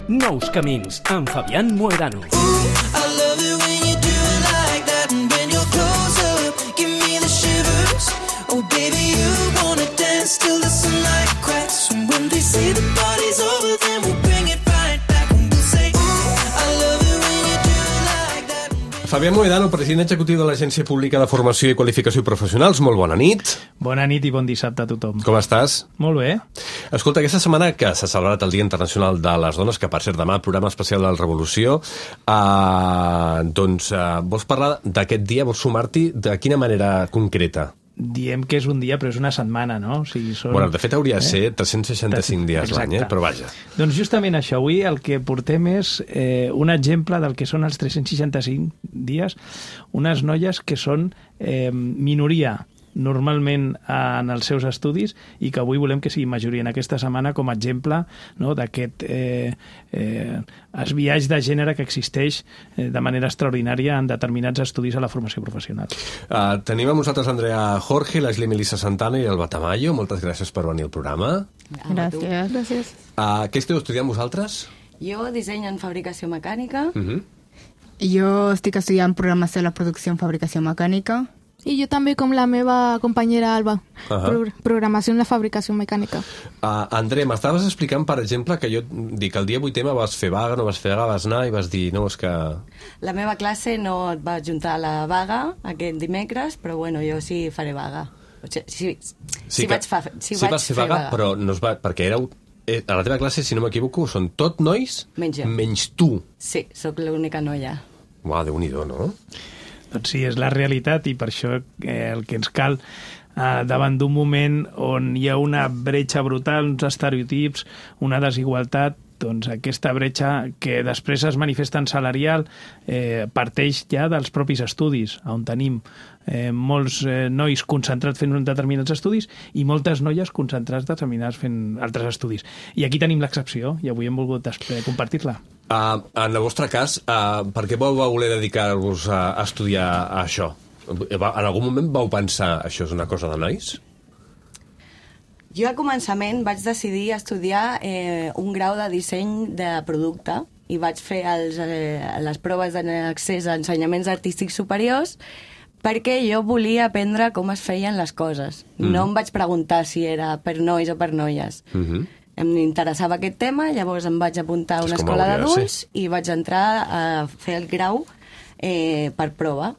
Nous camins, amb Fabián Mohedano. Fabián Mohedano, president executiu de l'Agència Pública de Formació i Qualificació Professionals. Molt bona nit. Bona nit i bon dissabte a tothom. Com estàs? Molt bé. Escolta, aquesta setmana que s'ha celebrat el Dia Internacional de les Dones, que per cert demà, programa especial de la Revolució, vols parlar d'aquest dia, vols sumar-t'hi de quina manera concreta? Diem que és un dia, però és una setmana, no? O sigui, són... Bueno, de fet hauria de ser 365 dies l'any, però vaja. Doncs justament això, avui el que portem és un exemple del que són els 365 dies, unes noies que són minoria normalment en els seus estudis i que avui volem que sigui majoria en aquesta setmana com a exemple, no, d'aquest esbiaix de gènere que existeix de manera extraordinària en determinats estudis a la formació professional. Tenim amb nosaltres Andrea Jorge, l'Ashley Melissa Santana i el Batamayo. Moltes gràcies per venir al programa. Gràcies. Què esteu estudiant vosaltres? Jo disseny en fabricació mecànica. Jo estic estudiant programació de la producció en fabricació mecànica. I jo també, com la meva companyera Alba, programació en la fabricació mecànica. André, m'estaves explicant, per exemple, que jo dic el dia 8M vas fer vaga, no vas fer vaga, vas anar i vas dir, no, és que... La meva classe no et va juntar a la vaga aquest dimecres, però bueno, jo sí faré vaga. Sí vaig fer vaga. Però no es va... Perquè éreu... A la teva classe, si no m'equivoco, són tot nois? Menys tu. Sí, sóc l'única noia. Uau, Déu-n'hi-do, no? Doncs sí, és la realitat i per això el que ens cal davant d'un moment on hi ha una bretxa brutal, uns estereotips, una desigualtat, doncs aquesta bretxa que després es manifesta en salarial parteix ja dels propis estudis, on tenim molts nois concentrats fent determinats estudis i moltes noies concentrats determinats fent altres estudis. I aquí tenim l'excepció i avui hem volgut compartir-la. En el vostre cas, per què vau voler dedicar-vos a estudiar això? En algun moment vau pensar això és una cosa de nois? Jo al començament vaig decidir estudiar un grau de disseny de producte i vaig fer les proves d'accés a ensenyaments artístics superiors perquè jo volia aprendre com es feien les coses. No em vaig preguntar si era per nois o per noies. Em interessava aquest tema, llavors em vaig apuntar a una escola d'adults i vaig entrar a fer el grau per prova.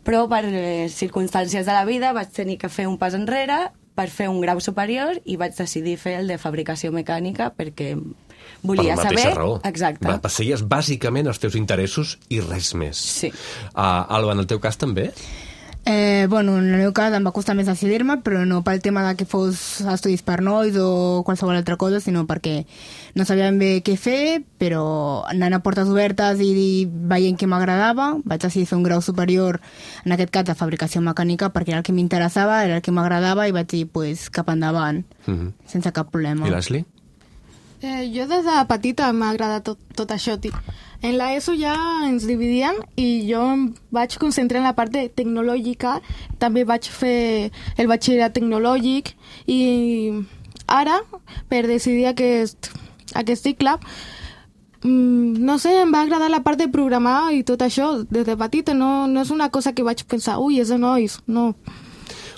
Però per circumstàncies de la vida vaig tenir que fer un pas enrere per fer un grau superior i vaig decidir fer el de fabricació mecànica perquè volia saber... Per la mateixa raó. Exacte. Perseguies bàsicament els teus interessos i res més. Sí. Alba, en el teu cas també? Bueno, en el meu cas em va costar més decidir-me, però no pel tema de que fos estudis per nois o qualsevol altra cosa, sinó perquè no sabia ben bé què fer, però anant a portes obertes i veient que m'agradava, vaig decidir fer un grau superior, en aquest cas de fabricació mecànica, perquè era el que m'interessava, era el que m'agradava i vaig dir, pues, cap endavant, sense cap problema. I l'Ashley? Jo des de petita m'ha agradat tot això. En l'ESO ja ens dividien i jo em vaig concentrar en la part tecnològica, també vaig fer el batxillerat tecnològic i ara, per decidir aquest cicle, no sé, em va agradar la part de programar i tot això des de petita, no és una cosa que vaig pensar, ui, és de nois, no.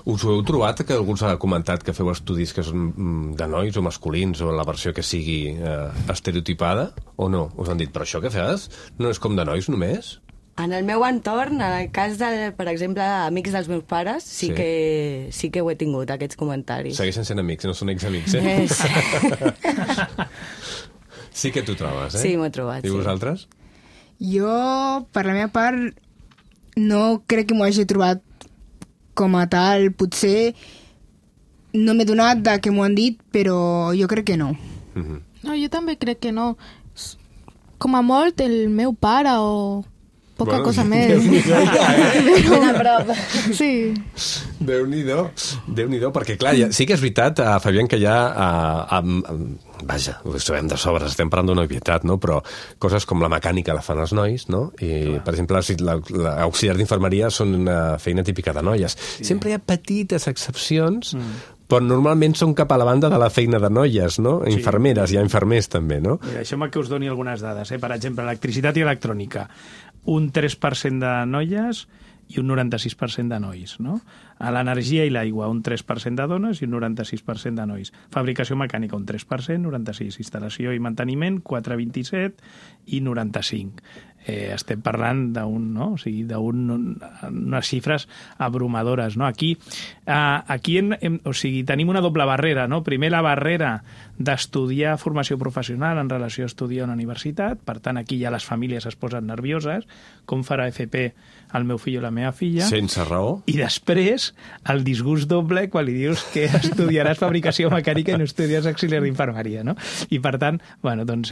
Us ho heu trobat, que algú us ha comentat que feu estudis que són de nois o masculins o la versió que sigui estereotipada o no? Us han dit, però això que fas no és com de nois només? En el meu entorn, en el cas de, per exemple, amics dels meus pares, sí que ho he tingut, aquests comentaris. Segueixen sent amics, no són ex-amics, Sí que t'ho trobes, Sí, m'ho he trobat, I vosaltres? Jo, per la meva part, no crec que m'ho hagi trobat com a tal, potser no m'he donat de que m'ho han dit, però jo crec que no. No, jo també crec que no. Com a molt el meu pare o poca cosa més. Ben a prop. Sí. Déu-n'hi-do, perquè clar, sí que és veritat, Fabián, que hi ha... Vaja, ho sabem de sobres, estem parlant d'una obvietat, no? Però coses com la mecànica la fan els nois, no? I, per exemple, l'auxiliar d'infermeria són una feina típica de noies. Sempre hi ha petites excepcions, Però normalment són cap a la banda de la feina de noies, no? Sí. Infermeres, hi ha infermers també, no? Mira, deixeu-me que us doni algunes dades. Per exemple, electricitat i electrònica, un 3% de noies i un 96% de nois, no? A l'energia i l'aigua, un 3% de dones i un 96% de nois. Fabricació mecànica, un 3%, 96%. Instal·lació i manteniment, 4,27% i 95%. Estem parlant d'unes xifres abrumadores, no? Aquí tenim una doble barrera, no? Primer, la barrera d'estudiar formació professional en relació a estudiar a una universitat, per tant, aquí ja les famílies es posen nervioses, com farà FP el meu fill o la meva filla. Sense raó. I després, el disgust doble quan li dius que estudiaràs fabricació mecànica i no estudiaràs auxiliar d'infermeria, no? I per tant, bueno, doncs...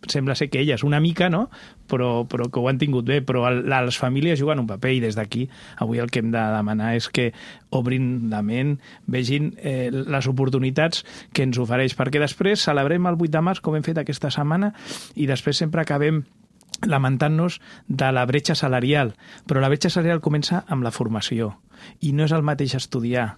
sembla ser que elles una mica, no? Però que ho han tingut bé, però les famílies juguen un paper i des d'aquí avui el que hem de demanar és que obrin la ment, vegin les oportunitats que ens ofereix, perquè després celebrem el 8 de març com hem fet aquesta setmana i després sempre acabem lamentant-nos de la bretxa salarial, però la bretxa salarial comença amb la formació i no és el mateix estudiar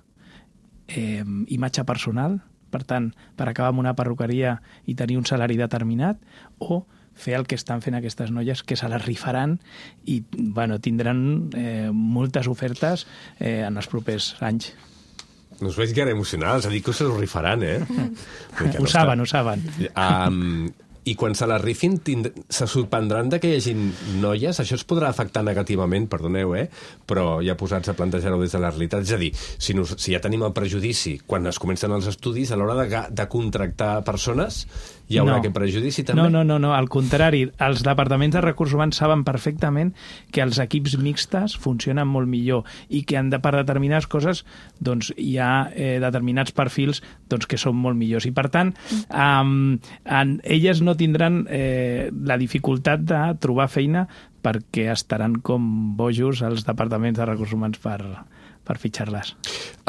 imatge personal, per tant, per acabar amb una perruqueria i tenir un salari determinat, o fer el que estan fent aquestes noies, que se les rifaran i bueno, tindran moltes ofertes en els propers anys. No us veig gaire emocionals, a dir que se us rifaran, eh? Ho saben. I quan se la rifin se sorprendran de que hi hagi noies, això es podrà afectar negativament, perdoneu, però ja posats a plantejar-ho des de la realitat. És a dir, si ja tenim el prejudici quan es comencen els estudis, a l'hora de contractar persones, hi haurà aquest prejudici també? No, al contrari, els departaments de recursos humans saben perfectament que els equips mixtes funcionen molt millor i que per determinades coses doncs, hi ha determinats perfils doncs, que són molt millors. I per tant, elles no tindran la dificultat de trobar feina perquè estaran com bojos als departaments de recursos humans per fitxar-les.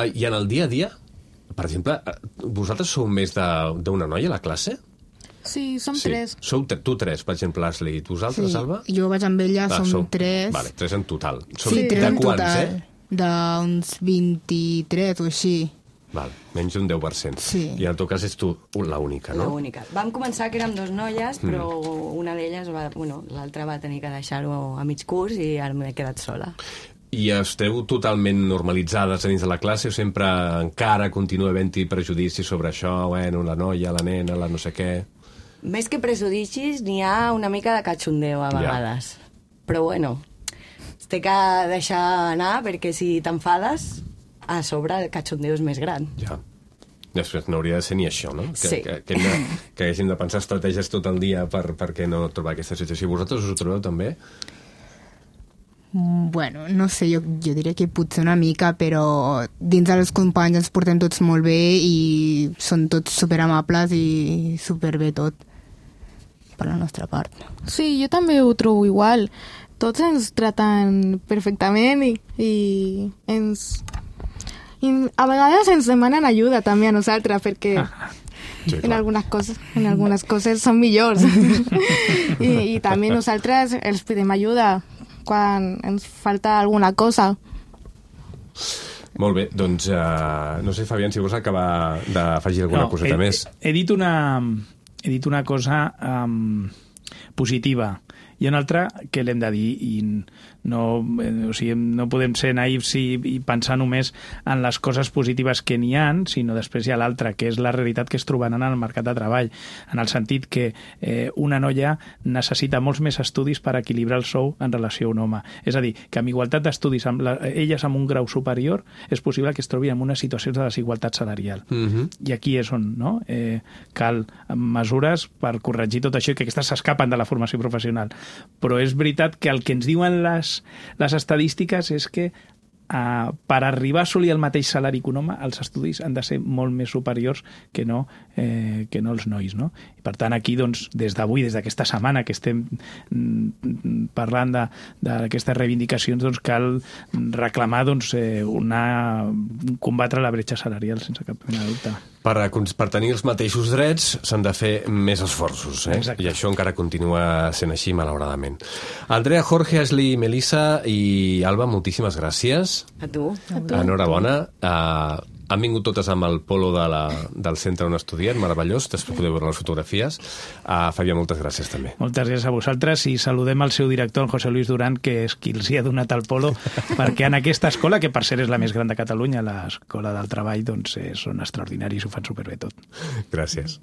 I en el dia a dia, per exemple, vosaltres sou més d'una noia a la classe? Sí, som tres. Sou tu tres, per exemple, Ashley. I vosaltres, Alba? Jo vaig amb ella, som tres. Vale, tres en total. Sí, tres en total. D'uns 23 o així. Val, menys d'un 10%. Sí. I en tot cas és tu l'única, no? L'única. Vam començar que érem 2 noies, però una d'elles, l'altra va tenir que deixar-ho a mig curs i ara m'he quedat sola. I esteu totalment normalitzades dins de la classe o sempre encara continua havent-hi prejudicis sobre això, bueno, la noia, la nena, la no sé què... Més que prejudicis, n'hi ha una mica de catxondeo a vegades. Ja. Però bueno, es té que deixar anar perquè si t'enfades, a sobre el catxondeo és més gran. Ja. Després no hauria de ser ni això, no? Sí. Que haguéssim de pensar estratègies tot el dia per no trobar aquesta situació. Vosaltres us ho trobeu també? Bueno, no sé, jo diria que potser una mica, però dins dels companys ens portem tots molt bé i són tots superamables i superbé tot per la nostra part. Sí, jo també ho trobo igual. Tots ens traten perfectament i a vegades ens demanen ajuda també a nosaltres perquè sí, en algunes coses són millors. I també nosaltres els pedem ajuda quan ens falta alguna cosa. Molt bé, doncs no sé, Fabián, si vols acabar d'afegir alguna coseta més. He dit una cosa positiva i una altra que l'hem de dir i no podem ser naïfs i pensar només en les coses positives que n'hi ha, sinó després hi ha l'altra, que és la realitat que es trobaran en el mercat de treball, en el sentit que una noia necessita molts més estudis per equilibrar el sou en relació a un home. És a dir, que amb igualtat d'estudis, elles amb un grau superior, és possible que es trobi en una situació de desigualtat salarial. I aquí és on cal mesures per corregir tot això i que aquestes s'escapen de la formació professional. Però és veritat que el que ens diuen les estadístiques és que per arribar a assolir el mateix salari que un home, els estudis han de ser molt més superiors que no els nois, no? I per tant, aquí, doncs, des d'avui, des d'aquesta setmana que estem parlant d'aquestes reivindicacions, doncs, cal reclamar combatre la bretxa salarial, sense cap mena de dubte. Per tenir els mateixos drets s'han de fer més esforços, Exacte. I això encara continua sent així, malauradament. Andrea, Jorge, Ashley, Melissa i Alba, moltíssimes gràcies. A tu. Enhorabona. Han vingut totes amb el polo del centre on estudien, meravellós, després podeu veure les fotografies. Fabià, moltes gràcies també. Moltes gràcies a vosaltres i saludem el seu director, en José Luis Durán, que és qui els hi ha donat el polo, perquè en aquesta escola, que per cert és la més gran de Catalunya, l'Escola del Treball, doncs són extraordinaris, ho fan superbé tot. Gràcies.